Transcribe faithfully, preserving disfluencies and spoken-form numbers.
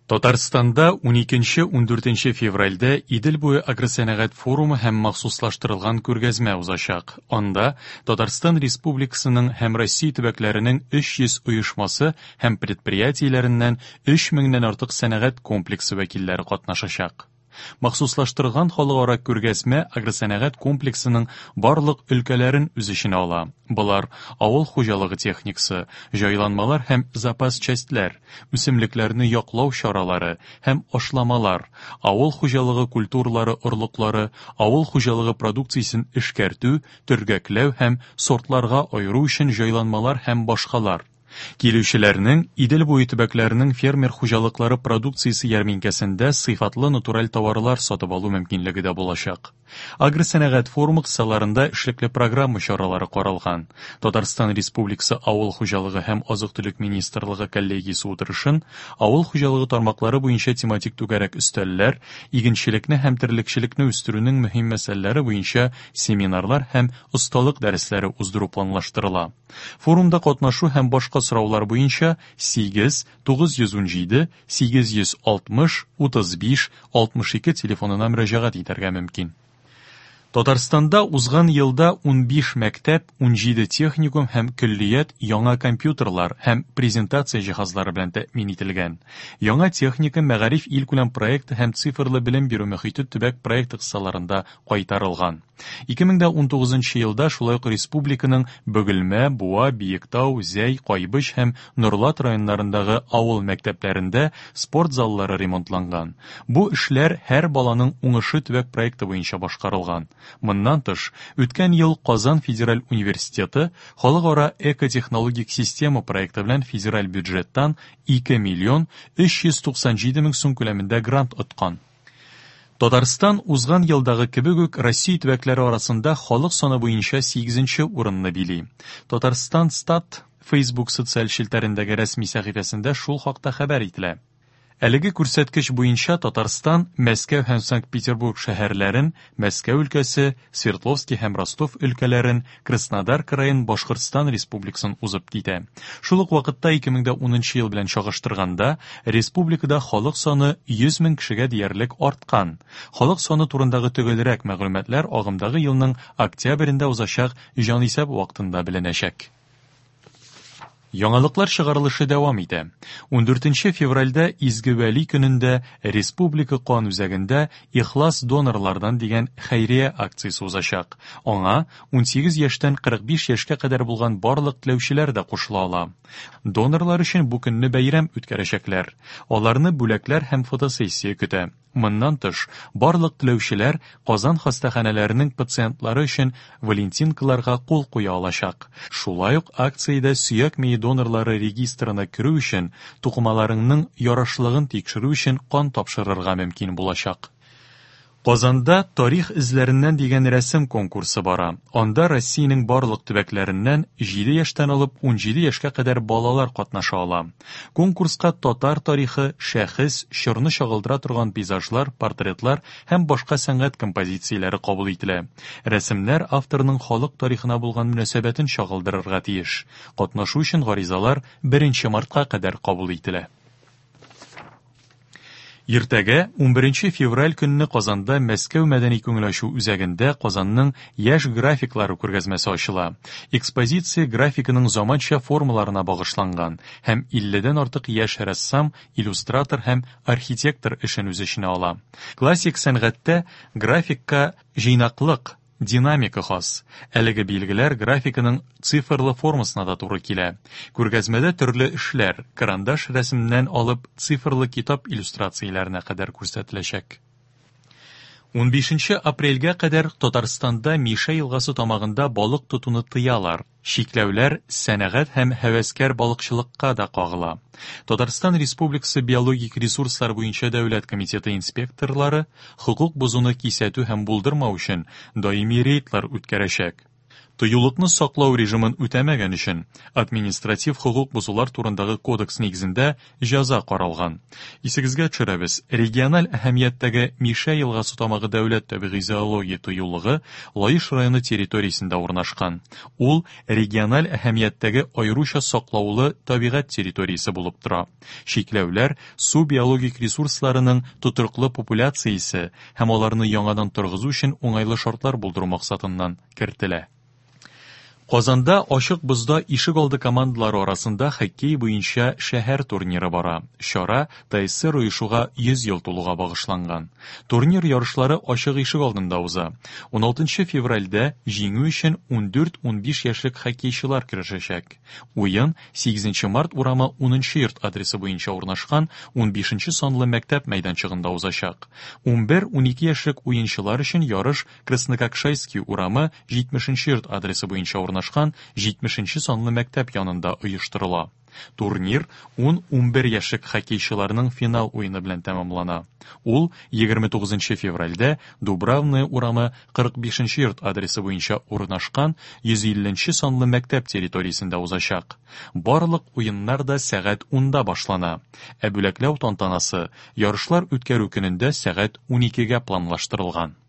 Татарстанда уникенче-ундүртенче февральдә Идел буе агросәнәгать форумы һәм махсуслаштырылган күргәзмә узачак. Анда Татарстан Республикасының һәм Россия төбәкләренең өч йөз оешмасы һәм предприятиеләреннән өч меңнән артык сәнәгать комплексы вәкилләре катнашачак. Махсуслаштырылган халыкара күргәзмә агросәнәгать комплексының барлык өлкәләрен үз эченә ала. Болар авыл хуҗалыгы техникасы, җайланмалар һәм запас частьләр, үсемлекләрне яклау чаралары һәм ашламалар, авыл хуҗалыгы культуралары орлыклары, авыл хуҗалыгы продукциясен эшкәртү, төргәкләү һәм сортларга аеру өчен җайланмалар һәм башкалар. Килүчеләрнең Идел буе төбәкләренең фермер хуҗалыклары продукциясе ярминкәсендә сыйфатлы натураль товарлар сатып алу мөмкинлеге дә булачак. Агросәнәгать форумы кысаларында эшлекле программа чаралары каралган. Татарстан Республикасы Авыл хуҗалыгы һәм азык-төлек министрлыгы коллегиясе утырышын авыл хуҗалыгы тармаклары буенча тематик түгәрәк өстәлләр, игенчелекне һәм терлекчелекне үстерүнең мөһим мәсьәләләре буенча семинарлар һәм осталык дәресләре уздыру планлаштырыла. Форумда катнашу һәм башка сораулар буенча сигез, тугыз йөз унҗиде, сигез йөз алтмыш, утыз биш, алтмыш ике телефонына мөрәҗәгать итәргә мөмкин. Татарстанда узган елда унбиш мәктәп, унҗиде техникум һәм көллият яңа компьютерлар һәм презентация җиһазлары белән тәэмин ителгән. Яңа техника мәгариф илкүләм проекты һәм цифрлы белем бирү мөхите төбәк проекты кысаларында кайтарылган. Ике мең дә унтугызынчы елда шулай ук республиканың Бөгелмә, Буа, Биектау, Зәй, Кайбыч һәм Нурлат районнарындагы авыл мәктәпләрендә спорт заллары ремонтланган. Бу эшләр һәр баланың уңышы төбәк проекты буенча башкарылган. Моннан тыш, үткән ел Казан федераль университеты халыкара экотехнологик система проекты белән федераль бюджеттан ике миллион өч йөз туксан җиде мең сум күләмендә грант откан. Татарстан узган елдагы кебек үк Россия төбәкләре арасында халык саны буенча сигезенче урынны били. Татарстан Стат Facebook социаль челтәрендәге рәсми сәхифәсендә шул хакта хәбәр ителә. Әлеге күрсәткеч буенча Татарстан Мәскәү һәм Санкт-Петербург шәһәрләрен, Мәскәү өлкәсе, Свердловский һәм Ростов өлкәләрен, Краснодар краен, Башкортстан республикасын узып китә. Шул ук вакытта ике мең дә унынчы ел белән чагыштырганда республикада халык саны йөз мең кешегә диярлек арткан. Халык саны турындагы төгәлрәк мәгълүматлар агымдагы елның октябрендә узачак җанисәп вакытында беленәчәк. Яңалыклар чыгарылышы дәвам итә. Ундүртенче февральдә Изге Вәли көнендә Республика кан үзәгендә Ихлас донорлардан дигән хәйрия акциясе узачак. Аңа унсигез яшьтән кырык биш яшькә кадәр булган барлык теләүчеләр дә кушыла ала. Донорлар өчен бу көнне бәйрәм үткәрәчәкләр. Аларны бүләкләр һәм фотосессия көтә. Моннан тыш, барлык теләүчеләр Казан хастаханәләренең пациентлары өчен валентинкаларга кул куя алачак. Шулай ук акциядә сөяк мие донорлары регистрына керү өчен тукымаларының ярашлыгын тикшерү өчен кан тапшырырга мөмкин булачак. Казанда тарих эзләреннән дигән рәсем конкурсы бара. Анда Россиянең барлык төбәкләреннән җиде яшьтән алып унҗиде яшькә кадәр балалар катнаша ала. Конкурска татар тарихы, шәхес, чорны чагылдыра торган пейзажлар, портретлар һәм башка сәнгать композицияләре кабул ителә. Рәсемнәр авторның халык тарихына булган мөнәсәбәтен чагылдырырга тиеш. Катнашу өчен гаризалар беренче мартка кадәр кабул ителә. Иртәгә унберенче февраль көнне Казанда Мәскәү мәдәни күңел ачу үзәгендә Казанның яшь графиклары күргәзмәсе ачыла. Экспозиция графиканың заманча формаларына багышланган һәм илледән артык яшь рәссам, иллюстратор һәм архитектор эшен үз эченә ала. Классик сәнгатьтә графикка җыйнаклык, динамика хас. Әлеге билгеләр графиканың цифрлы формасына да туры килә. Күргәзмәдә төрле эшләр, карандаш рәсемнән алып цифрлы китап иллюстрацияләренә кадәр күрсәтеләчәк. Унбишенче апрельгә кадәр Татарстанда Мишә елгасы тамагында балык тотуны тыялар. Чикләүләр сәнәгать һәм һәвәскәр балыкчылыкка да кагыла. Татарстан Республикасы биологик ресурслар буенча дәүләт комитеты инспекторлары хокук бозуны кисәтү һәм булдырмау өчен даими рейдлар үткәрәчәк. Тыюлыкны саклау режимын үтәмәгән өчен административ хокук бозулар турындагы кодекс нигезендә җәза каралган. Исегезгә төшерәбез, региональ әһәмияттәге Мишә елгасы тамагы дәүләт табигый зоология тыюлыгы Лаеш районы территориясендә урнашкан. Ул региональ әһәмияттәге аеруча саклаулы табигать территориясе булып тора. Чикләүләр су биологик ресурсларының тотрыклы популяциясе һәм аларны яңадан торгызу өчен уңайлы шартлар булдыру максатыннан кертелә. Казанда ачык бозда ишек алды командалары арасында хоккей буенча шәһәр турниры бара. Чара ТАССР оешуга йөз ел тулуга багышланган. Турнир ярышлары ачык ишек алдында уза. уналтынчы февральдә җиңү өчен ундүрт-унбиш яшьлек хоккейчылар көрәшәчәк. Уен сигезенче март урамы унынчы йорт адресы буенча урнашкан унбишенче санлы мәктәп мәйданчыгында узачак. Унбер-унике яшьлек уенчылар өчен ярыш Краснококшайский урамы җитмешенче йорт адресы буенча урнашкан җитмешенче санлы мәктәп янында оештырыла. Турнир ун-унбер яшьлек хоккейчыларның финал уены белән тәмамлана. Ул егерме тугызынчы февральдә Дубравная урамы кырык бишенче йорт адресы буенча урнашкан йөз илленче санлы мәктәп территориясендә узачак. Барлык уеннар да сәгать унда башлана. Ә бүләкләү тантанасы ярышлар үткәрү көнендә сәгать уникегә планлаштырылган.